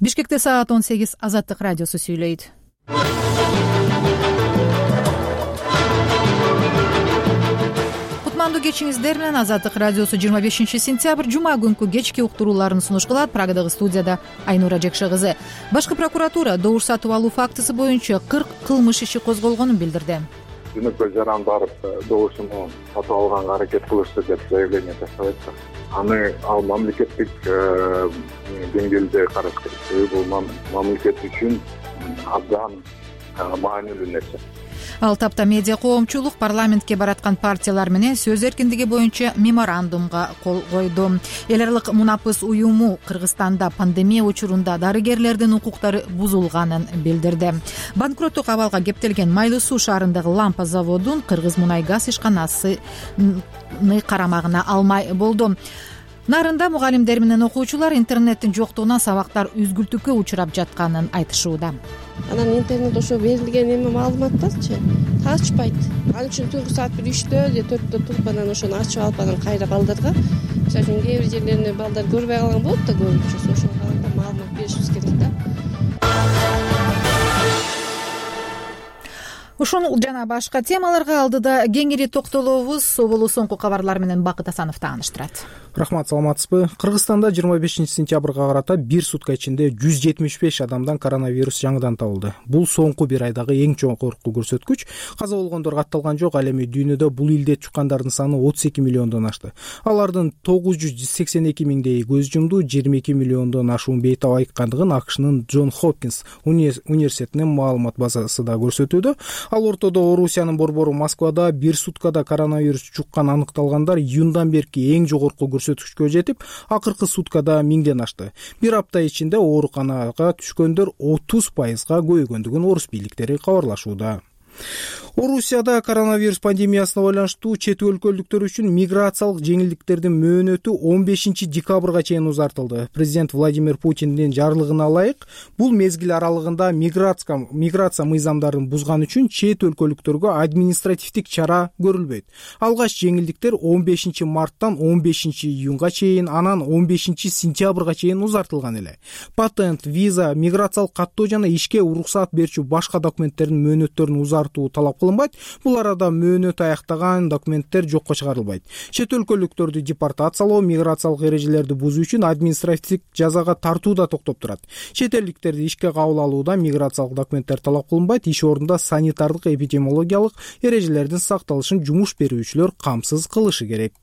Бишкекте саат 18. Азаттык радиосу сүйлөйт. Кутмандуу кечиңиздер менен Азаттык радиосу 25-сентябрь жума күнкү кечки уктурууларын сунуш кылат. Прагадагы студияда Айнура Жекше кызы. Башкы прокуратура добуш сатып алуу фактысы боюнча 40 кылмыш иши козголгонун билдирди. Жөнөкөй жаран барып добушуну сатып алганга аракет кылышты деп заявление таштабайт. Аны ал мамлекеттик деңгээлде караш керек. Бул мамлекет үчүн абдан маанилүү нерсе. Ал тапта медиа коомчулук парламентке бараткан партиялар менен сөз эркиндиги боюнча меморандумга кол койду. Эл аралык мунапыс уюму Кыргызстанда пандемия учурунда дарыгерлердин укуктары бузулганын билдирди. Банкроттук абалга кептелген Майлуу суу шаарындагы лампа заводун Кыргыз мунай газ ишканасы карамагына алмай болду. Нарында мугалимдер менен окуучулар интернеттин жоктугунан сабактар үзгүлтүккө учурап жатканын айтышууда. Анан интернет ошо берилген эме маалыматтарчы ачпайт. Ал үчүн түнкү саат 1-3-тө же 4-тө туруп анан ошону ачып алып анан кайра балдарга, мисалы үчүн кээ бир жерлеринде балдар көрбөй калган болот да көбүнчөсү, ошого карата маалымат беришибиз керек да. Ушул жана башка темаларга алдыда кеңири токтолобуз. Соболу соңку кабарлар менен Бакыт Асанов тааныштырат. Рахмат, саламатсызбы? Кыргызстанда 25-сентябрга карата 1 сутка ичинде 175 адамдан коронавирус жаңыдан табылды. Бул соңку бир айдагы эң жогорку көрсөткүч. Каза болгондор катталган жок. Ал эми дүйнөдө бул илдет жуккандардын саны 32 миллиондон ашты. Алардын 982 миңдеги көз жумду. 22 миллиондон ашуун бейтап айткандыгын АКШнын Джон Хопкинс университетинин маалымат базасы да көрсөтүүдө. Ал ортодо Орусиянын борбору Москвада 1 суткада коронавирус жуккан аныкталгандар июндан берки эң жогорку көрсөткүчкө жетип, акыркы суткада 1000ден ашты. Бир апта ичинде ооруканага түшкөндөр 30%га көбөйгөндүгүн орус бийликтери кабарлашууда. Орусияда коронавирус пандемиясына байланыштуу чет өлкөлүктөр үчүн миграциялык жеңилдиктердин мөөнөтү 15 декабрга чейин узартылды. Президент Владимир Путиндин жарлыгына ылайык, бул мезгил аралыгында миграция мыйзамдарын бузган үчүн чет өлкөлүктөргө административдик чара көрүлбөйт. Алгач жеңилдиктер 15 марттан 15 июнга чейин, анан 15 сентябрга чейин узартылган эле. Патент, виза, миграциялык каттоо жана ишке уруксаат берүүчү башка документтердин мөөнөттөрүн узартуу талап кылынбайт. Бул арада мөөнөт аяктаган документтер жокко чыгарылбайт. Чет өлкөлүктөрдү депортациялоо, миграциялык эрежелерди бузуу үчүн административдик жазага тартуу да токтоп турат. Чет элдиктерди ишке кабыл алууда миграциялык документтер талап кылынбайт. Иш ордунда санитардык эпидемиологиялык эрежелердин сакталышын жумуш берүүчүлөр камсыз кылышы керек.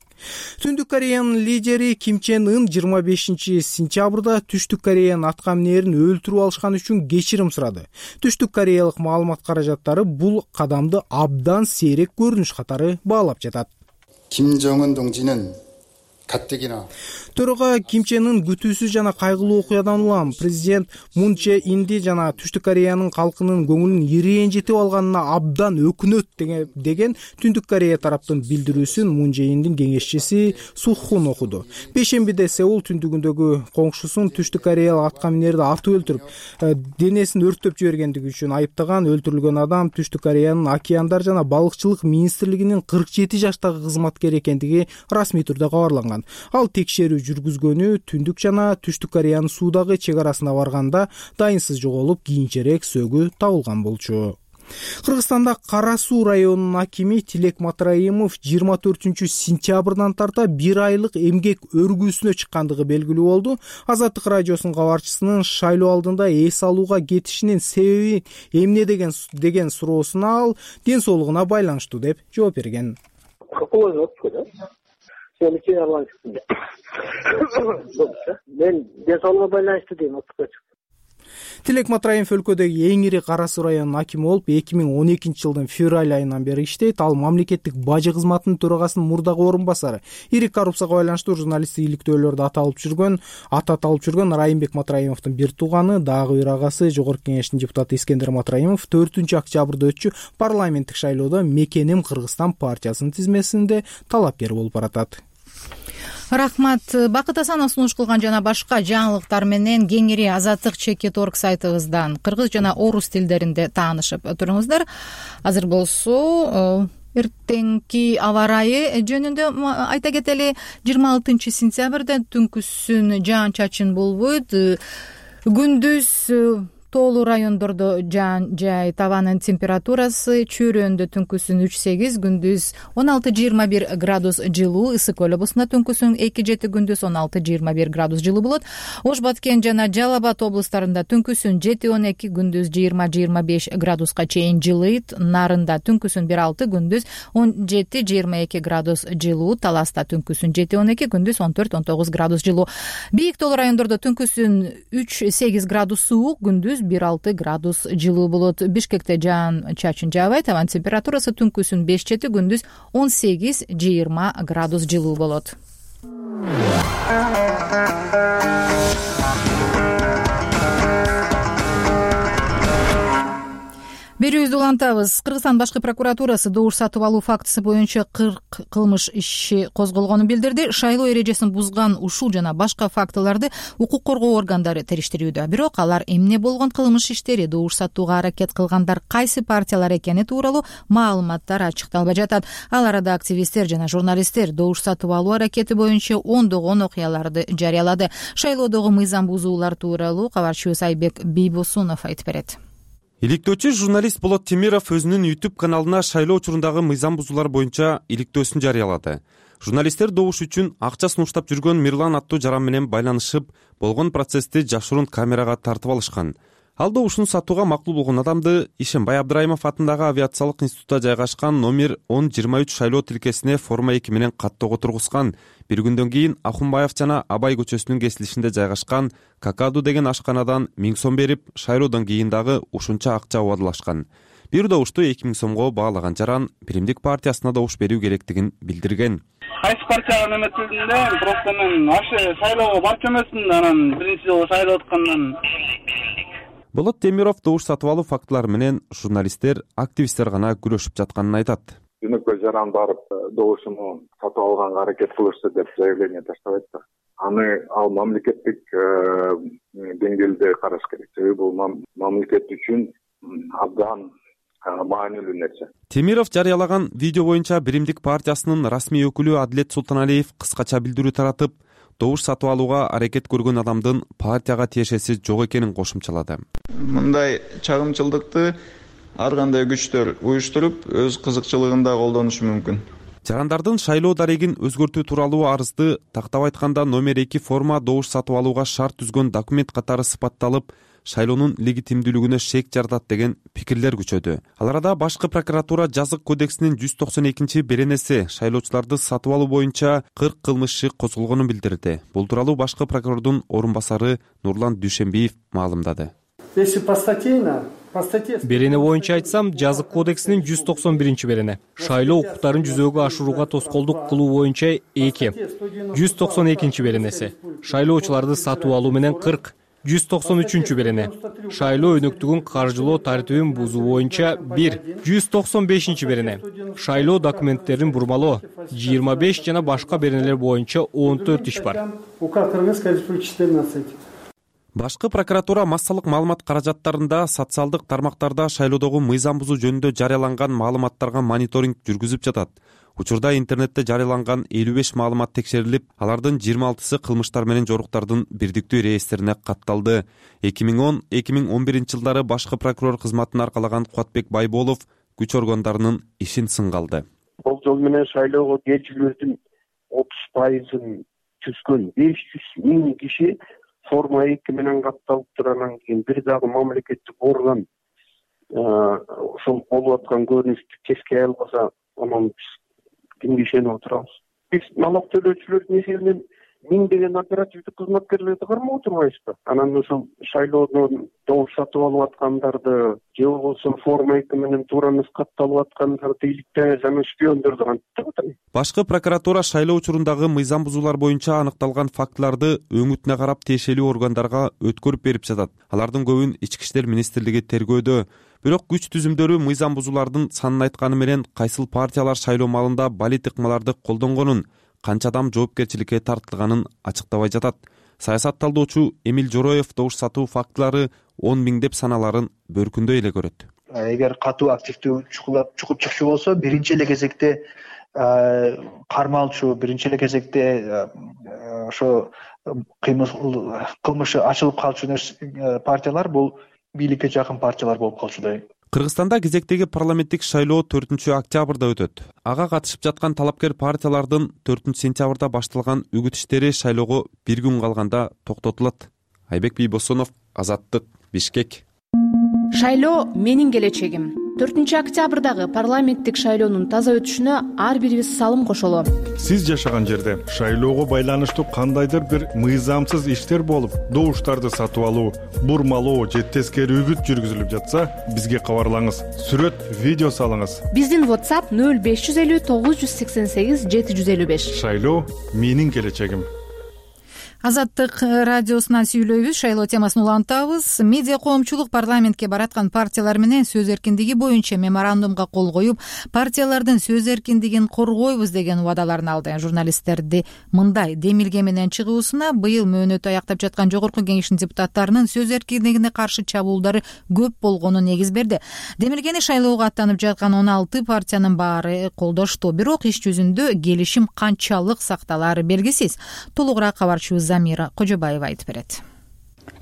Түндүк Кореянын лидери Ким Чен Ын 25 сентябрда Түштүк Кореянын аткаминерин өлтүрүп алышкан үчүн кечирим сурады. Түштүк Кореялык маалымат каражаттары бул кадамды абдан сейрек көрүнүш катары баалап жатат. Ким Чен Ын 동지는 가뜩이나 Төрөгө Ким Чен Ын күтүүсүз жана кайгылуу окуядан улам президент Мун Чже Инди жана Түштүк Кореянын калкынын көңүлүн ирээжитип алганына абдан өкүнөт деген Түндүк Корея тараптын билдирүүсүн Мун Чже Индин кеңешчиси Сухун окуду. Бейшембиде Сеул түндүгүндөгү коңшусун Түштүк Кореялык аткаминерди атып өлтүрүп, денесин өрттөп жибергендиги үчүн айыптаган. Өлтүрүлгөн адам Түштүк Кореянын океандар жана балыкчылык министрлигинин 47 жаштагы кызматкери экендиги расмий түрдө кабарланган. Ал текшерүү жүргүзгөнү Түндүк жана Түштүк Кореянын суудагы чек арасына барганда дайынсыз жоголуп, кийинчерээк сөөгү табылган болчу. Кыргызстанда Кара Суу районунун акими Тилек Матраимов 24 сентябрдан тарта 1 айлык эмгек өргүүсүнө чыккандыгы белгилүү болду. Азаттык радиосунун кабарчысынын шайлоо алдында эс алууга кетишинин себеби эмне деген суроосуна ал ден соолугуна байланыштуу деп жооп берген. Мен ден соолугуна байланыштуу дейм, отурга чыктым. Тилек Матраимов өлкөдөгү эң ири Кара Суу районунун акими болуп 2012 жылдын февраль айынан бери иштейт. Ал мамлекеттик бажы кызматынын төрагасынын мурдагы орун басары. Ири коррупцияга байланыштуу журналисттик иликтөөлөрдө ат алып жүргөн Райымбек Матраимовдун бир тууганы, дагы бир агасы Жогорку Кеңештин депутаты Искендер Матраимов 4 октябрда өтчү парламенттик шайлоодо Мекеним Кыргызстан партиясынын тизмесинде талапкер болуп баратат. Рахмат. Бакыт Асанов сунуш кылган жана башка жаңылыктар менен кеңири Азаттык ЧК.org сайтыбыздан кыргыз жана орус тилдеринде таанышып туруңуздар. Азыр болсо эртеңки аба ырайы жөнүндө айта кетели. 26 сентябрда түнкүсүн жаан чачын болбойт. Күндүз тоолуу райондордо жаан жай, табанын температурасы чөйрөндө түнкүсүн 3-8, күндүз 16-21 градус жылуу, Ысык көл облусунда түнкүсүн 2-7, күндүз 16-21 градус жылуу болот. Ош Баткен жана Жалал Абад облустарында түнкүсүн 7-12, күндүз 20-25 градуска чейин жылыйт. Нарында түнкүсүн 1-6, күндүз 17-22 градус жылуу, Таласта түнкүсүн 7-12, күндүз 14-19 градус жылуу. Бийик тоолуу райондордо түнкүсүн 3-8 градус суук, күндүз 1-6 градус жылуу болот. Бишкекте жаан чачын жаабайт, табан температурасы түнкүсүн 5-7, күндүз 18-20 градус жылуу болот. Берүүбүздү улантабыз. Кыргызстан башкы прокуратурасы добуш сатып алуу фактысы боюнча 40 кылмыш иши козголгонун билдирди. Шайлоо эрежесин бузган ушул жана башка фактыларды укук коргоо органдары териштирүүдө. Бирок алар эмне болгон кылмыш иштери, добуш сатууга аракет кылгандар кайсы партиялар экени тууралуу маалыматтар ачыкталбай жатат. Ал арада активисттер жана журналисттер добуш сатып алуу аракети боюнча ондогон окуяларды жарыялады. Шайлоодогу мыйзам бузуулар тууралуу кабарчыбыз Айбек Бийбосунов айтып берет. Иликтөөчү журналист Болот Темиров өзүнүн YouTube каналына шайлоо учурундагы мыйзам бузуулар боюнча иликтөөсүн жарыялады. Журналисттер добуш үчүн акча сунуштап жүргөн Мирлан аттуу жаран менен байланышып, болгон процессти жашыруун камерага тартып алышкан. Ал добушун сатууга макул болгон адамды Ишембай Абдрайымов атындагы авиациялык институтта жайгашкан номер 1023 шайлоо тилкесине форма 2 менен каттоого тургузган. Бир күндөн кийин Ахунбаев жана Абай көчөсүнүн кесилишинде жайгашкан Какаду деген ашканадан 1000 сом берип, шайлоодон кийин дагы ушунча акча убадылашкан. Бир добушту 2000 сомго баалаган жаран Биримдик партиясына добуш берүү керектигин билдирген. Кайсы партияга эметилдинде, просто мен ашы шайлоого барчу эмесмин, анан биринчи жолу шайлоо өткөндөн. Болот Темиров добуш сатып алуу фактылары менен журналисттер, активисттер гана күрөшүп жатканын айтат. Жөнөкөй жаран барып добушуну сатып алганга аракет кылышты деп заявление таштабайт да. Аны ал мамлекеттик деңгээлде караш керек. Себеби бул мамлекет үчүн абдан маанилүү нерсе. Темиров жарыялаган видео боюнча Биримдик партиясынын расмий өкүлү Адилет Султаналиев кыскача билдирүү таратып, добуш сатып алууга аракет көргөн адамдын партияга тиешеси жок экенин кошумчалады. Мындай чагымчылдыкты ар кандай күчтөр уюштуруп, өз кызыкчылыгында колдонушу мүмкүн. Жарандардын шайлоо дарегин өзгөртүү тууралуу арызды тактап айтканда номер 2 форма добуш сатып алууга шарт түзгөн документ катары сыпатталып, шайлоонун легитимдүүлүгүнө шек жаратат деген пикирлер күчөдү. Ал арада башкы прокуратура жазык кодексинин 192 беренеси шайлоочуларды сатып алуу боюнча 40 кылмыш иши козголгонун билдирди. Бул тууралуу башкы прокурордун орун басары Нурлан Дүйшенбиев маалымдады. Берене боюнча айтсам, жазык кодексинин 191 берене. Шайлоо укуктарын жүзөгө ашырууга тоскоолдук кылуу боюнча 2. 192 беренеси. Шайлоочуларды сатып алуу менен 40. 193 берене. Шайлоо өнөктүгүн каржылоо тартибин бузуу боюнча 1. 195 берене. Шайлоо документтерин бурмалоо 25 жана башка беренелер боюнча 14 иш бар. Башкы прокуратура массалык маалымат каражаттарында социалдык тармактарда шайлоодогу мыйзам бузуу жөнүндө жарыяланган маалыматтарга мониторинг жүргүзүп жатат. Учурда интернетте жарыяланган 55 маалымат текшерилип, алардын 26сы кылмыштар менен жоруктардын бирдиктүү реестрине катталды. 2010-2011 жылдары башкы прокурор кызматын аркалаган Кубатбек Байболов күч органдарынын ишин сынга алды. Бул жол менен шайлоого келүүчүлөрдүн 30%-ын түзгөн 500 миң киши форма 2 менен катталыптыр. Анан кийин бир дагы мамлекеттик орган ошол болуп аткан көрүнүштү кескей албаса, анан кимге ишенип отурабыз? Биз налог төлөөчүлөрдүн эсебинен миңдеген оперативдик кызматкерлерди кармап отурбайбызбы? Анан ошол шайлоодон добуш сатып алып аткандарды, же болбосо форма 2 менен туура эмес катталып аткандарды иликтебиз, анан шпиондорду кантип атабыз? Башкы прокуратура шайлоо учурундагы мыйзам бузуулар боюнча аныкталган фактыларды өңүтүнө карап тиешелүү органдарга өткөрүп берип жатат. Алардын көбүн Ички иштер министрлиги тергөөдө. Бирок күч түзүмдөрү мыйзам бузуулардын санын айтканы менен кайсыл партиялар шайлоо маалында балит ыкмаларды колдонгонун, канча адам жоопкерчиликке тартылганын ачыктабай жатат. Саясат талдоочу Эмил Жороев добуш сатуу фактылары 10 миң деп саналарын бөркүндөй эле көрөт. Эгер катуу активдүү чукуп чыкчу болсо, биринчи эле кезекте кармалчу, биринчи эле кезекте ошо кылмышы ачылып калчу партиялар бул бийликке жакын партиялар болуп калчудай. Кыргызстанда кезектеги парламенттик шайлоо 4-октябрда өтөт. Ага катышып жаткан талапкер партиялардын 4-сентябрда башталган үгүт иштери шайлоого бир күн калганда токтотулат. Айбек Бийбосонов, Азаттык, Бишкек. Шайлоо менин келечегим. 4-октябрдагы парламенттик шайлоонун таза өтүшүнө ар бирибиз салым кошолу. Сиз жашаган жерде шайлоого байланыштуу кандайдыр бир мыйзамсыз иштер болуп, добуштарды сатып алуу, бурмалоо же тескери үгүт жүргүзүлүп жатса, бизге кабарлаңыз. Сүрөт, видео салыңыз. Биздин WhatsApp 0550 988 755. Шайлоо менин келечегим. Азаттык радиосунан сүйлөйбүз, шайлоо темасын улантабыз. Медиа коомчулук парламентке бараткан партиялар менен сөз эркиндиги боюнча меморандумга кол коюп, партиялардын сөз эркиндигин коргойбуз деген убадаларын алды. Журналисттерди мындай демилге менен чыгуусуна быйыл мөөнөтү аяктап жаткан Жогорку Кеңештин депутаттарынын сөз эркиндигине каршы чабуулдары көп болгону негиз берди. Демилгени шайлоого аттанып жаткан 16 партиянын баары колдошту, бирок иш жүзүндө келишим канчалык сакталары белгисиз. Толугураак кабарчыбыз Замира Кожобаева айтып берет.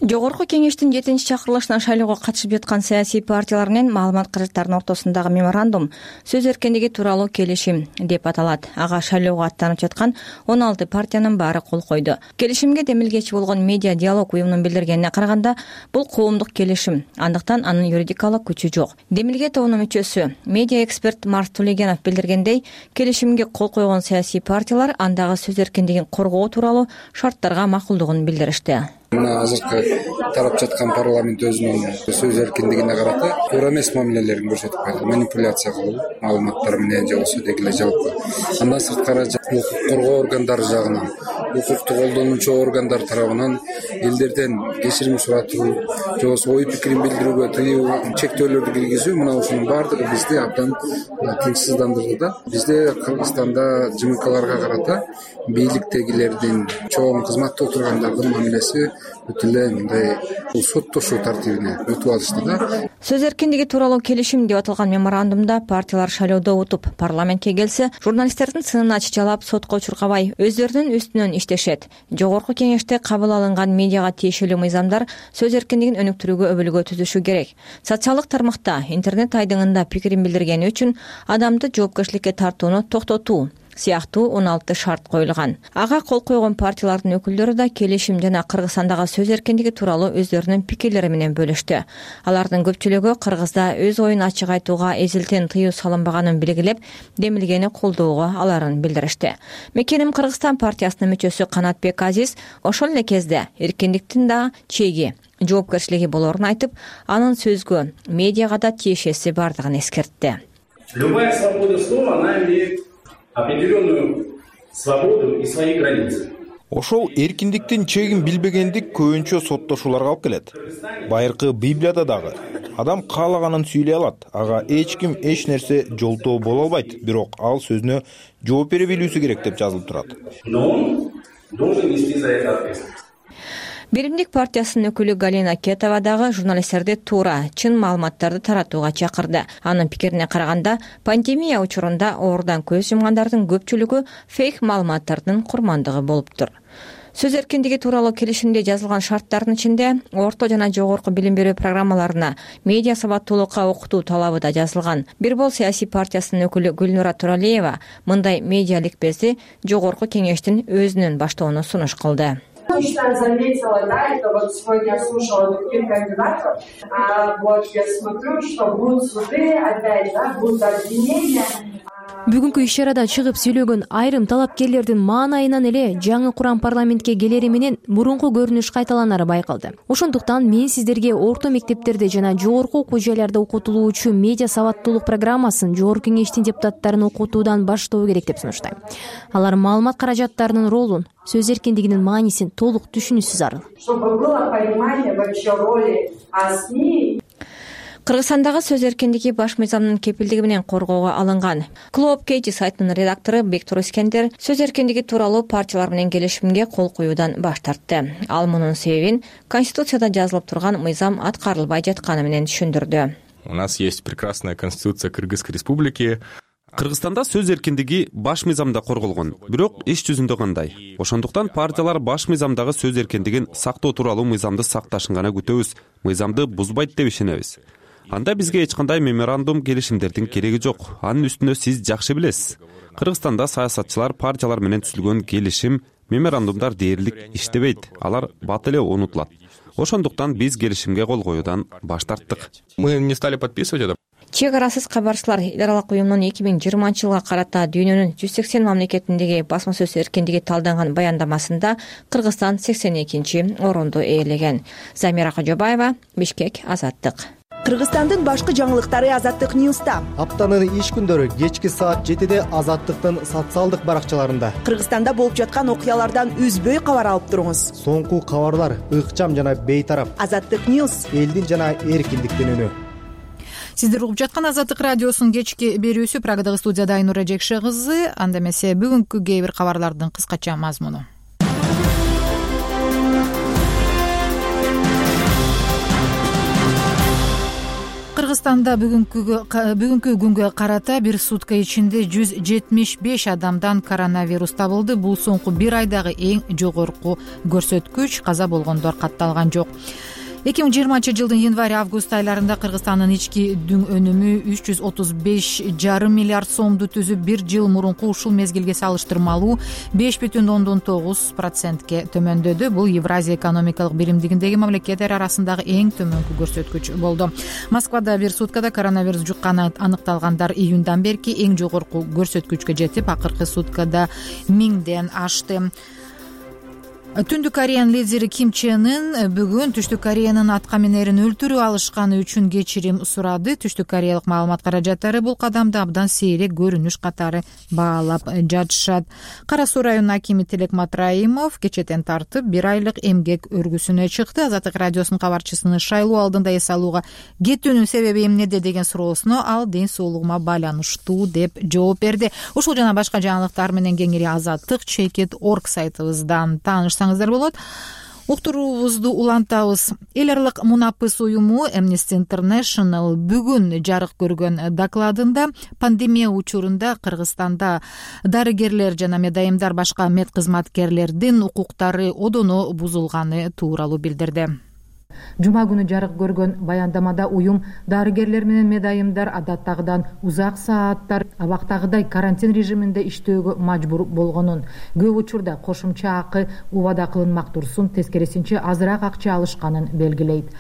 Жогорку Кеңештин 7-чакырылышына шайлоого катышып жаткан саясий партиялар менен маалымат каражаттарынын ортосундагы меморандум сөз эркиндиги тууралуу келишим деп аталат. Ага шайлоого аттанып жаткан 16 партиянын баары кол койду. Келишимге демилгечи болгон Медиа диалог уюмунун билдиргенине караганда, бул коомдук келишим, андыктан анын юридикалык күчү жок. Демилге тобунун мүчөсү, медиа эксперт Марс Тулегенов билдиргендей, келишимге кол койгон саясий партиялар андагы сөз эркиндигин коргоо тууралуу шарттарга макулдугун билдиришти. Мына азыркы тарап жаткан парламент өзүнүн сөз эркиндигине карата туура эмес мамилелерин көрсөтүп калды. Манипуляция кылуу, маалыматтар менен же болбосо деги эле жалпы. Андан сырткары укук коргоо органдары жагынан, укукту колдонуучу органдар тарабынан элдерден кечирим суратуу, же болбосо ой пикирин билдирүүгө тыюу, чектөөлөрдү киргизүү, мына ушунун баардыгы бизди абдан тынчсыздандырды да. Бизде Кыргызстанда ЖМКларга карата бийликтегилердин, чоң кызматта отургандардын мамилеси өтө эле мындай соттошуу тартибине өтүп алышты да. Сөз эркиндиги тууралуу келишим деп аталган меморандумда партиялар шайлоодо утуп, парламентке келсе, журналисттердин сынына чычалап, сотко чуркабай, өздөрүнүн үстүнөн иштешет. Жогорку Кеңеште кабыл алынган медиага тиешелүү мыйзамдар сөз эркиндигин өнүктүрүүгө өбөлгө түзүшү керек. Социалдык тармакта, интернет айдыңында пикирин билдиргени үчүн адамды жоопкерчиликке тартууну токтотуу сыяктуу 16 шарт коюлган. Ага кол койгон партиялардын өкүлдөрү да келишим жана Кыргызстандагы сөз эркиндиги тууралуу өздөрүнүн пикирлери менен бөлүштү. Алардын көпчүлүгү Кыргызда өз оюн ачык айтууга эзилтен тыюу салынбаганын белгилеп, демилгени колдоого аларын билдиришти. Мекеним Кыргызстан партиясынын мүчөсү Канатбек Азиз ошол эле кезде эркиндиктин да чеги, жоопкерчилиги болорун айтып, анын сөзгө, медиага да тиешеси бардыгын эскертти. Любая свобода слова, она имеет определенную свободу и свои границы. Ошол эркиндиктин чегин билбегендик көбүнчө соттошууларга алып келет. Байыркы Библияда дагы адам каалаганын сүйлөй алат. Ага эч ким эч нерсе жолтоо боло албайт, бирок ал сөзүнө жооп бере билүүсү керек деп жазылып турат. Но он должен нести за это ответственность. Биримдик партиясынын өкүлү Галина Кетова дагы журналисттерди туура, чын маалыматтарды таратууга чакырды. Анын пикирине караганда, пандемия учурунда оорудан көз жумгандардын көпчүлүгү фейк маалыматтардын курмандыгы болуптур. Сөз эркиндиги тууралуу келишимде жазылган шарттардын ичинде орто жана жогорку билим берүү программаларына медиа сабаттуулукка окутуу талабы да жазылган. Бир бол саясий партиясынын өкүлү Гүлнура Туралиева мындай медиа ликбезди Жогорку Кеңештин өзүнүн баштоону сунуш кылды. Точно заметила, да, это вот сегодня я слушала других кандидатов, вот я смотрю, что будут суды, опять, да, будут обвинения. Бүгүнкү иш-чарада чыгып сүйлөгөн айрым талапкерлердин маанайынан эле жаңы курам парламентке келери менен мурунку көрүнүш кайталанары байкалды. Ошондуктан мен сиздерге орто мектептерде жана жогорку окуу жайларда окутулуучу медиа сабаттуулук программасын Жогорку Кеңештин депутаттарын окутуудан баштоо керек деп сунуштайм. Алар маалымат каражаттарынын ролун, сөз эркиндигинин маанисин толук түшүнүүсү зарыл. Чтобы было понимание вообще роли СМИ. Кыргызстандагы сөз эркиндиги баш мыйзамдын кепилдиги менен коргоого алынган. Клуб Кейти сайтынын редактору Бектур Искендер сөз эркиндиги тууралуу партиялар менен келишимге кол коюудан баш тартты. Ал мунун себебин Конституцияда жазылып турган мыйзам аткарылбай жатканы менен түшүндүрдү. У нас есть прекрасная Конституция Кыргызской Республики. Кыргызстанда сөз эркиндиги баш мыйзамда корголгон, бирок иш жүзүндө кандай? Ошондуктан партиялар баш мыйзамдагы сөз эркиндигин сактоо тууралуу мыйзамды сакташын гана күтөбүз, мыйзамды бузбайт деп ишенебиз. Анда бизге эч кандай меморандум, келишимдердин кереги жок. Анын үстүнө сиз жакшы билесиз. Кыргызстанда саясатчылар партиялар менен түзүлгөн келишим, меморандумдар дээрлик иштебейт, алар бат эле унутулат. Ошондуктан биз келишимге кол коюудан баш тарттык. Мы не стали подписывать это. Чек арасыз кабарчылар эл аралык уюмунун 2020-жылга карата дүйнөнүн 180 мамлекетиндеги басма сөз эркиндиги талданган баяндамасында Кыргызстан 82-орунду ээлеген. Замира Кожобаева, Бишкек, Азаттык. Кыргызстандын башкы жаңылыктары Азаттык Ньюста. Аптанын иш күндөрү кечки саат 7-де Азаттыктын социалдык баракчаларында. Кыргызстанда болуп жаткан окуялардан үзбөй кабар алып туруңуз. Соңку кабарлар ыкчам жана бейтарап. Азаттык Ньюс, элдин жана эркиндиктин үнү. Сиздер угуп жаткан Азаттык радиосунун кечки берүүсү. Прагадагы студияда Айнура Жекше кызы. Анда эмесе бүгүнкү кээ бир кабарлардын кыскача мазмуну. Кыргызстанда бүгүнкү күнгө карата бир сутка ичинде 175 адамдан коронавирус табылды. Бул соңку бир айдагы эң жогорку көрсөткүч. Каза болгондор катталган жок. 2020-жылдын январь-август айларында Кыргызстандын ички дүң өнүмү 335,5 миллиард сомду түзүп, бир жыл мурунку ушул мезгилге салыштырмалуу 5,9%ке төмөндөдү. Бул Евразия экономикалык биримдигиндеги мамлекеттер арасындагы эң төмөнкү көрсөткүч болду. Москвада бир суткада коронавирус жукканы аныкталгандар июндан берки эң жогорку көрсөткүчкө жетип, акыркы суткада 1000ден ашты. Түндүк Кореянын лидери Ким Чен Ын бүгүн Түштүк Кореянын аткаминерин өлтүрүп алышканы үчүн кечирим сурады. Түштүк Кореялык маалымат каражаттары бул кадамды абдан сейрек көрүнүш катары баалап жатышат. Кара Суу районунун акими Тилек Матраимов кечетен тартып бир айлык эмгек өргүсүнө чыкты. Азаттык радиосунун кабарчысынын шайлоо алдында эс алууга кетүүнүн себеби эмнеде деген суроосуна ал ден соолугума байланыштуу деп жооп берди. Ушул жана башка жаңылыктар менен кеңири Азаттык.org сайтыбыздан таанышсаңыздар болот. Уктуруубузду улантабыз. Эл аралык мунапыс уюму Amnesty International бүгүн жарык көргөн докладында пандемия учурунда Кыргызстанда дарыгерлер жана медайымдар башка мед кызматкерлердин укуктары одоно бузулганы тууралуу билдирди. Жума күнү жарык көргөн баяндамада уюм дарыгерлер менен медайымдар адаттагыдан узак сааттар абактагыдай карантин режиминде иштөөгө мажбур болгонун, көп учурда кошумча акы убада кылынмак турсун, тескерисинче азыраак акча алышканын белгилейт.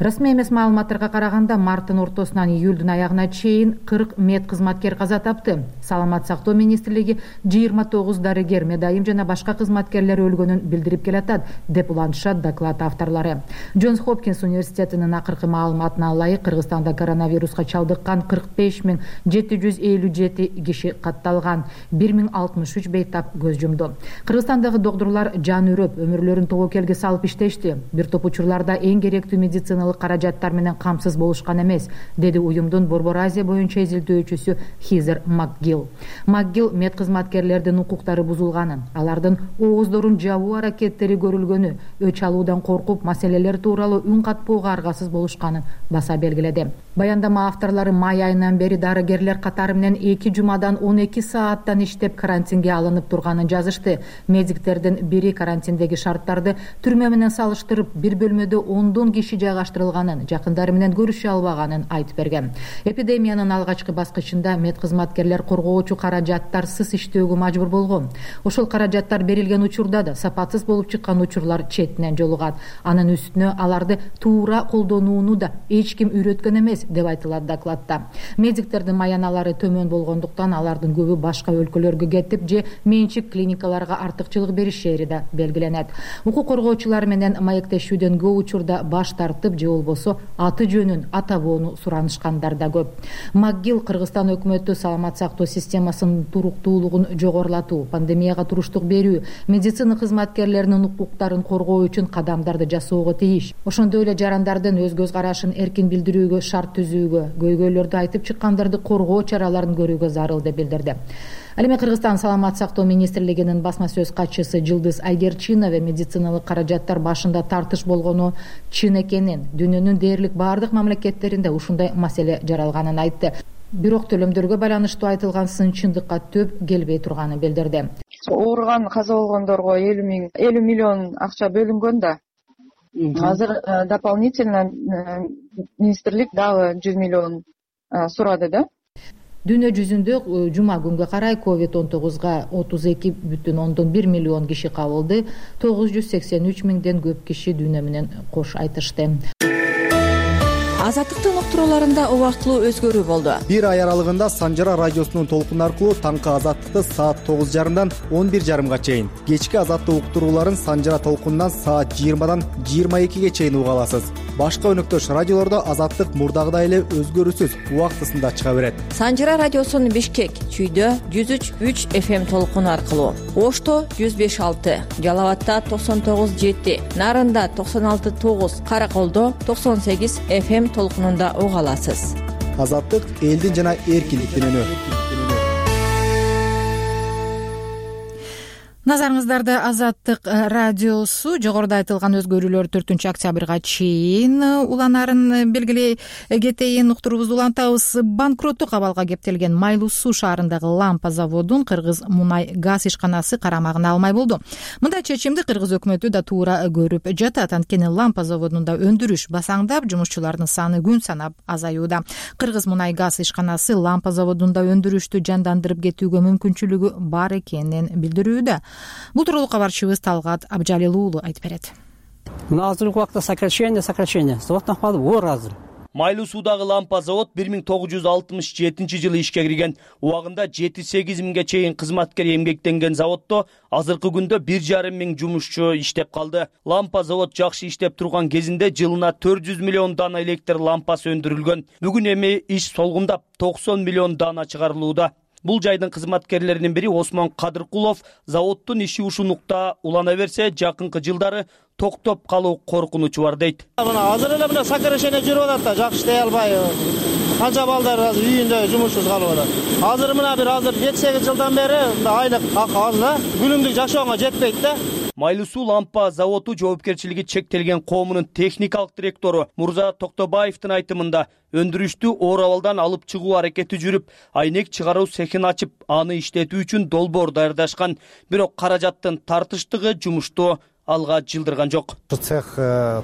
Расмий эмес маалыматтарга караганда марттын ортосунан июлдун аягына чейин 40 мед кызматкер каза тапты. Саламат сактоо министрлиги 29 дарыгер, медайым жана башка кызматкерлер өлгөнүн билдирип келатат, деп улантышат доклад авторлору. Джонс Хопкинс университетинин акыркы маалыматына ылайык Кыргызстанда коронавируска чалдыккан 45,757 киши катталган, 1063 бейтап көз жумду. Кыргызстандагы доктурлар жан үрөп, өмүрлөрүн тобокелге салып иштешти. Бир топ учурларда эң керектүү медициналык каражаттар менен камсыз болушкан эмес, деди уюмдун Борбор Азия боюнча изилдөөчүсү Хизер Макгил. Макгил мед кызматкерлердин укуктары бузулганын, алардын ооздорун жабуу аракеттери көрүлгөнү, өч алуудан коркуп маселелер тууралуу үн катпоого аргасыз болушканын баса белгиледи. Баяндама авторлору май айынан бери дарыгерлер катары менен 2 жумадан 12 сааттан иштеп карантинге алынып турганын жазышты. Медиктердин бири карантиндеги шарттарды түрмө менен салыштырып, бир бөлмөдө 10 киши жайгаштырылганын, жакындары менен көрүшө албаганын айтып берген. Эпидемиянын алгачкы баскычында мед кызматкерлер коргоочу каражаттарсыз иштөөгө мажбур болгон. Ошол каражаттар берилген учурда да сапатсыз болуп чыккан учурлар четинен жолугат. Анын үстүнө аларды туура колдонууну да эч ким үйрөткөн эмес, деп айтылат докладта. Медиктердин маяналары төмөн болгондуктан алардын көбү башка өлкөлөргө кетип же менчик клиникаларга артыкчылык беришери да белгиленет. Укук коргоочулар менен маектешүүдөн көп учурда баш тартып же болбосо аты жөнүн, ата боону суранышкандар да көп. Макгил Кыргызстан өкмөтү саламат сактоо системасынын туруктуулугун жогорулатуу, пандемияга туруштук берүү, медицина кызматкерлеринин укуктарын коргоо үчүн кадамдарды жасоого тийиш. Ошондой эле жарандардын өз көз карашын эркин билдирүүгө шарт түзүүгө, көйгөйлөрдү айтып чыккандарды коргоо чараларын көрүүгө зарыл деп билдирди. Ал эми Кыргызстан саламат сактоо министрлигинин басма сөз катчысы Жылдыз Айгерчинова медициналык каражаттар башында тартыш болгону чын экенин, дүйнөнүн дээрлик баардык мамлекеттеринде ушундай маселе жаралганын айтты. Бирок төлөмдөргө байланыштуу айтылган сын чындыкка төп келбей турганын билдирди. Ооруган каза болгондорго 50 миллион акча бөлүнгөн да. Азыр дополнительно министрлик дагы 100 миллион сурады да. Дүйнө жүзүндө жума күнгө карай COVID-19 32,1 миллион киши кабылды, 983 миңден көп киши дүйнө менен кош айтышты. Азаттыктын уктурууларында убактылуу өзгөрүү болду. Бир ай аралыгында Санжара радиосунун толкуну аркылуу таңкы Азаттыкты саат 9:30 11:30 чейин, кечки Азаттык уктурууларын Санжара толкунунан саат 20 22 чейин уга аласыз. Башка өнөктөш радиолордо Азаттык мурдагыдай эле өзгөрүүсүз убактысында чыга берет. Санжара радиосунун Бишкек, Чүйдө 103.3 FM толкуну аркылуу, Ошто 105.6, Жалал-Абадта 99.7, Нарында 96.9, Караколдо 98 FM толкунунда уга аласыз. Азаттык элдин жана эркиндиктин үнү. Назарыңыздарда Азаттык радиосу жогоруда айтылган өзгөрүүлөр 4-октябрга чейин уланарын белгилей кетейин. Уктуруубузду улантабыз. Банкроттук абалга кептелген Майлуу Суу шаарындагы лампа заводун Кыргыз мунай газ ишканасы карамагына алмай болду. Мындай чечимди Кыргыз өкмөтү да туура көрүп жатат. Анткени лампа заводунда өндүрүш басаңдап, жумушчулардын саны күн санап азаюуда. Кыргыз мунай газ ишканасы лампа заводунда өндүрүштү жандандырып кетүүгө мүмкүнчүлүгү бар экенин билдирүүдө. Бул тууралуу кабарчыбыз Талгат Абжалил уулу айтып берет. Азыркы убакта сокращение заводдон калып оор азыр. Майлуу Суудагы лампа завод 1967-жылы ишке кирген. Убагында 7-8 миңге чейин кызматкер эмгектенген заводдо азыркы күндө 1,5 миң жумушчу иштеп калды. Лампа завод жакшы иштеп турган кезинде жылына 400 миллион дана электр лампасы өндүрүлгөн. Бүгүн эми иш солгундап 90 миллион дана чыгарылууда. Бул жайдын кызматкерлеринин бири Осмон Кадыркулов заводдун иши ушунукта улана берсе, жакынкы жылдары токтоп калуу коркунучу бар дейт. Азыр эле мына сокращение жүрүп атат да, жакшы иштей албай. Канча балдар азыр үйүндө жумушсуз калып атат. Азыр мына бир 7-8 жылдан бери айлык акы аз да, күнүмдүк жашоого жетпейт да. Майлуу Суу лампа заводу жоопкерчилиги чектелген коомунун техникалык директору Мурза Токтобаевдин айтымында өндүрүштү оор абалдан алып чыгуу аракети жүрүп, айнек чыгаруу цехин ачып, аны иштетүү үчүн долбоор даярдашкан. Бирок каражаттын тартыштыгы жумушту алга жылдырган жок. Цех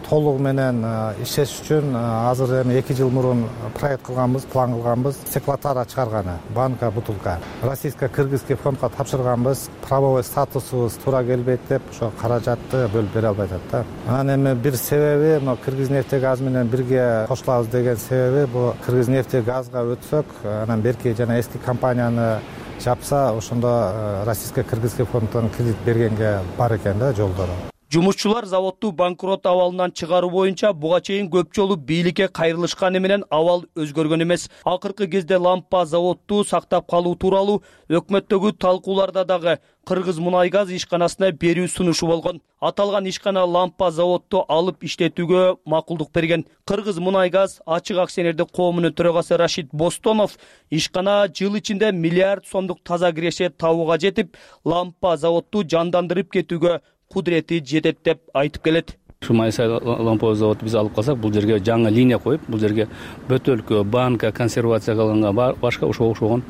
толугу менен иштеш үчүн азыр эми 2 жыл мурун проект кылганбыз, план кылганбыз. Стеклотара чыгарганы, банка, бутылка. Российско-кыргызский фондго тапшырганбыз. Правовой статусубуз туура келбейт деп, ошо каражатты бөлүп бере албай атат да. Анан эми бир себеби, mo Кыргызнефтегаз менен бирге кошулабыз деген себеби, бул Кыргызнефтегазга өтсөк, анан берки жана эски компанияны жапса, ошондо Российско-кыргызский фонддон кредит бергенге бар экен да жолдору. Жумушчулар заводду банкрот абалынан чыгаруу боюнча буга чейин көп жолу бийликке кайрылышканы менен абал өзгөргөн эмес. Акыркы кезде лампа заводду сактап калуу тууралуу өкмөттөгү талкууларда дагы Кыргыз мунай газ ишканасына берүү сунушу болгон. Аталган ишкана лампа заводду алып иштетүүгө макулдук берген. Кыргыз мунай газ ачык акционердик коомунун төрагасы Рашид Бостонов ишкана жыл ичинде миллиард сомдук таза киреше табууга жетип, лампа заводду жандандырып кетүүгө кудурети жетет деп айтып келет. Май лампа завод биз алып калсак, бул жерге жаңы линия коюп, бул жерге бөтөлкө, банка, консервация кылынган башка окшогон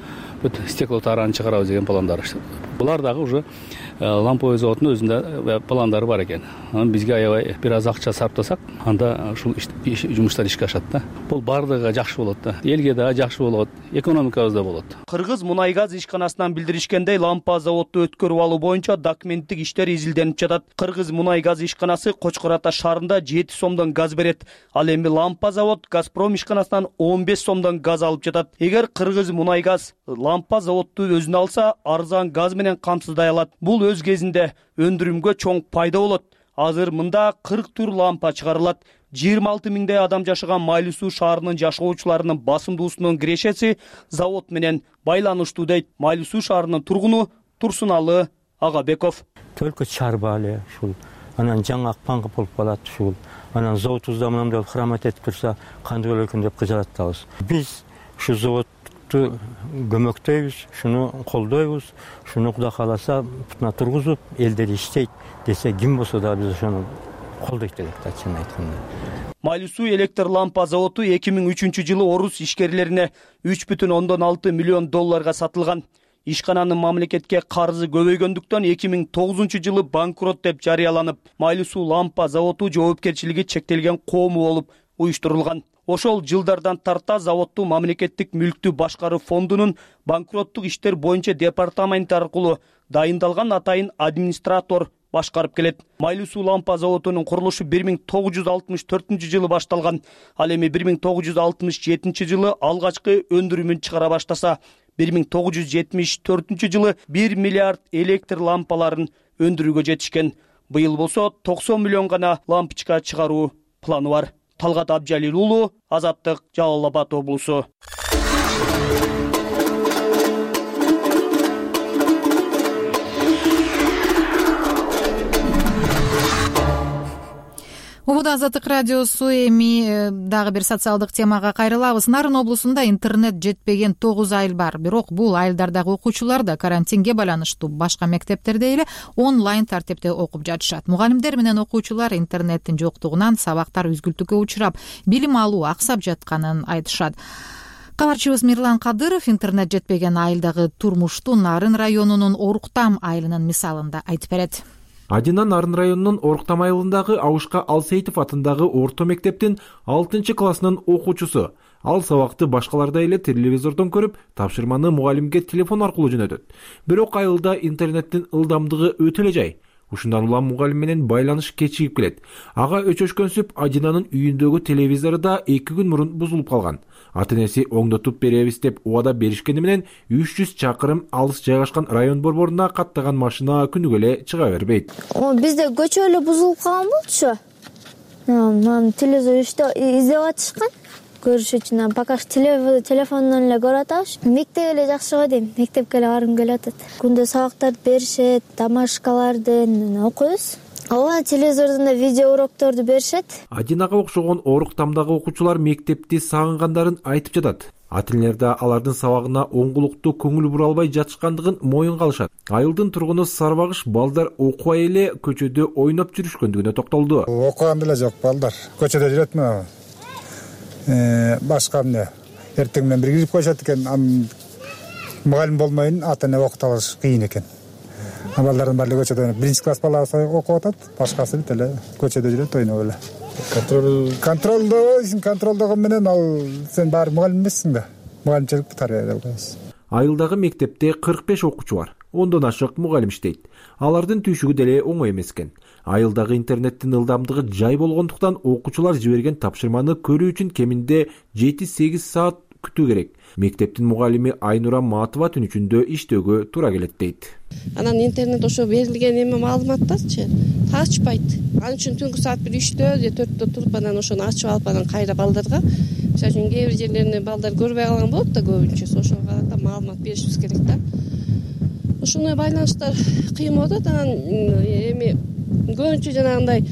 стеклотараны чыгарабыз деген пландар. Булар дагы уже лампа заводунун өзүндө пландары бар экен. Анан бизге аябай бир аз акча сарптасак, анда ушул жумуштар ишке ашат да. Бул бардыгы жакшы болот да. Элге да жакшы болот, экономикабыз да болот. Кыргыз мунай газ ишканасынан билдиришкендей, лампа заводду өткөрүп алуу боюнча документтик иштер изилденип жатат. Кыргыз мунай газ ишканасы Кочкор Ата шаарында 7 сомдон газ берет. Ал эми лампа завод Газпром ишканасынан 15 сомдон газ алып жатат. Эгер Кыргыз мунай газ лампа заводду өзүнө алса, арзан газ менен камсыздай алат. Бул өз кезинде өндүрүмгө чоң пайда болот. Азыр мында 40 тур лампа чыгарылат. 26 миңдей адам жашаган Майлуу Суу шаарынын жашоочуларынын басымдуусунун кирешеси завод менен байланыштуу дейт Майлуу Суу шаарынын тургуну Турсуналы Агабеков. Только чарбали ушул. Анан жаңы акпанга болуп калат ушул. Анан заводубузда мындай храмат этип турса, кандай болот экен деп кыжалат атабыз. Биз ушу заводду көмөктөйбүз, шуну колдойбуз, шуну Кудай кааласа бутуна тургузуп, элдер иштейт десе, ким болсо да биз ошону колдойт элек да, чынын айтканда. Майлуу суу электр лампа заводу 2003-жылы орус ишкерлерине $3,6 миллион сатылган. Ишкананын мамлекетке карызы көбөйгөндүктөн 2009-жылы банкрот деп жарыяланып, Майлуу суу лампа заводу жоопкерчилиги чектелген коому болуп уюштурулган. Ошол жылдардан тарта заводду мамлекеттик мүлктү башкаруу фондунун банкроттук иштер боюнча департаменти аркылуу дайындалган атайын администратор башкарып келет. Майлуу суу лампа заводунун курулушу 1964-жылы башталган. Ал эми 1967-жылы алгачкы өндүрүмүн чыгара баштаса, 1974-жылы 1 миллиард электр лампаларын өндүрүүгө жетишкен. Быйыл болсо 90 миллион гана лампочка чыгаруу планы бар. Талгат Абжалил уулу, Азаттык, Жалал Абад облусу. Убада Азаттык радиосу. Эми дагы бир социалдык темага кайрылабыз. Нарын облусунда интернет жетпеген 9 айыл бар. Бирок бул айылдардагы окуучулар да карантинге байланыштуу башка мектептерде эле онлайн тартипте окуп жатышат. Мугалимдер менен окуучулар интернеттин жоктугунан сабактар үзгүлтүккө учурап, билим алуу аксап жатканын айтышат. Кабарчыбыз Мирлан Кадыров интернет жетпеген айылдагы турмушту Нарын районунун Оруктам айылынын мисалында айтып берет. Адина Нарын районунун Оруктам айылындагы Абушка Алсейитов атындагы орто мектептин 6-классынын окуучусу. Ал сабакты башкалардай эле телевизордон көрүп, тапшырманы мугалимге телефон аркылуу жөнөтөт. Бирок айылда интернеттин ылдамдыгы өтө эле жай. Ушундан улам мугалим менен байланыш кечигип келет. Ага өчөшкөнсүп Адинанын үйүндөгү телевизору да 2 күн мурун бузулуп калган. Ата-энеси оңдотуп беребиз деп убада беришкени менен 300 чакырым алыс жайгашкан район борборуна каттаган машина күнүгө эле чыга бербейт. Бизде көчө эле бузулуп калган болчу. Телевизор издеп атышкан. Көрүш үчүн пока телефондон эле көрүп атабыз. Мектеп эле жакшы го дейм. Мектепке эле баргым келип атат. Күндө сабактарды беришет, домашкалардын окуйбуз. Ооба, телевизордон да видео урокторду беришет. Адинага окшогон Оруктамдагы окуучулар мектепти сагынгандарын айтып жатат. Ата-энелер да алардын сабагына оңгулуктуу көңүл бура албай жатышкандыгын моюнга алышат. Айылдын тургуну Сарбагыш балдар окубай эле көчөдө ойноп жүрүшкөндүгүнө токтолду. Окуган деле жок балдар. Көчөдө жүретми? Башка эмне? Эртең менен бир кирип коюшат экен. Мугалим болмойун ата-эне окута алыш кыйын экен. Балдардын баары көчөдө 1-класс баласы окуп атат, башкасы бүт эле көчөдө жүрөт, ойноп эле. Контролдогон менен ал сен баары мугалим эмессиң да. Мугалимчилик тарбия кылабыз. Айылдагы мектепте 45 окуучу бар. 10дон ашык мугалим иштейт. Алардын түйшүгү деле оңой эмес экен. Айылдагы интернеттин ылдамдыгы жай болгондуктан окуучулар жиберген тапшырманы көрүү үчүн кеминде 7-8 саат күтүү керек. Мектептин мугалими Айнура Матова түн ичинде иштөөгө туура келет дейт. Анан интернет ошо берилген эме маалыматтарчы ачпайт. Ал үчүн түнкү саат 3-тө же 4-тө туруп анан ошону ачып алып анан кайра балдарга, мисалы үчүн кээ бир жерлеринде балдар көрбөй калган болот да көбүнчөсү, ошого карата маалымат беришибиз керек да. Ушуну байланыштар кыйын болуп атат. Анан эми көбүнчө жанагындай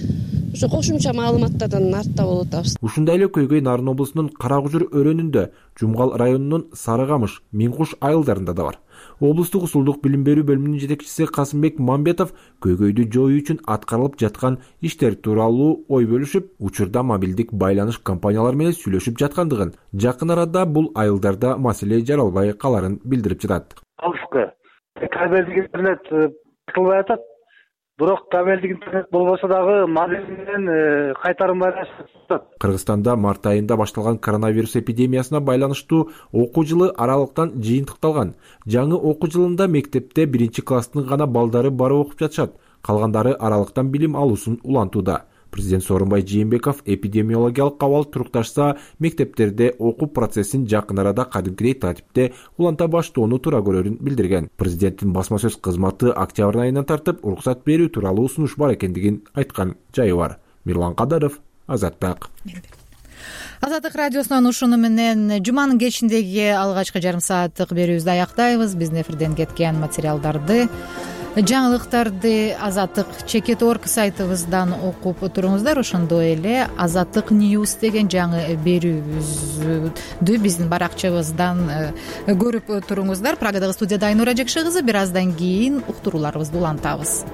ошо кошумча маалыматтардан артта болуп атабыз. Ушундай эле көйгөй Нарын облусунун Каракужур өрөөнүндө, Жумгал районунун Сарыгамыш, Миңкуш айылдарында да бар. Облустук усулдук билим берүү бөлүмүнүн жетекчиси Касымбек Мамбетов көйгөйдү жоюу үчүн аткарылып жаткан иштер тууралуу ой бөлүшүп, учурда мобилдик байланыш компаниялары менен сүйлөшүп жаткандыгын, жакын арада бул айылдарда маселе жаралбай каларын билдирип жатат. Кабелдик интернет кылбай атат. Бирок кабелдик интернет болбосо дагы мобил менен кайтарым байланыш. Кыргызстанда март айында башталган коронавирус эпидемиясына байланыштуу окуу жылы аралыктан жыйынтыкталган. Жаңы окуу жылында мектепте 1-класстын гана балдары барып окуп жатышат. Калгандары аралыктан билим алуусун улантууда. Президент Сооронбай Жээнбеков эпидемиологиялык абал турукташса, мектептерде окуу процессин жакын арада кадимкидей тартипте уланта баштоону туура көрөрүн билдирген. Президенттин басма сөз кызматы октябрь айынан тартып уруксат берүү тууралуу сунуш бар экендигин айткан жайы бар. Мирлан Кадыров, Азаттык. Азаттык радиосунан ушуну менен жуманын кечиндеги алгачкы жарым сааттык берүүбүздү аяктайбыз. Биздин эфирден кеткен материалдарды, жаңылыктарды Азаттык Чекет.org сайтыбыздан окуп туруңуздар. Ошондой эле Азаттык News деген жаңы берүүбүздү биздин баракчабыздан көрүп туруңуздар. Прагадагы студияда Айнура Жекши кызы. Бир аздан кийин уктурууларыбызды улантабыз.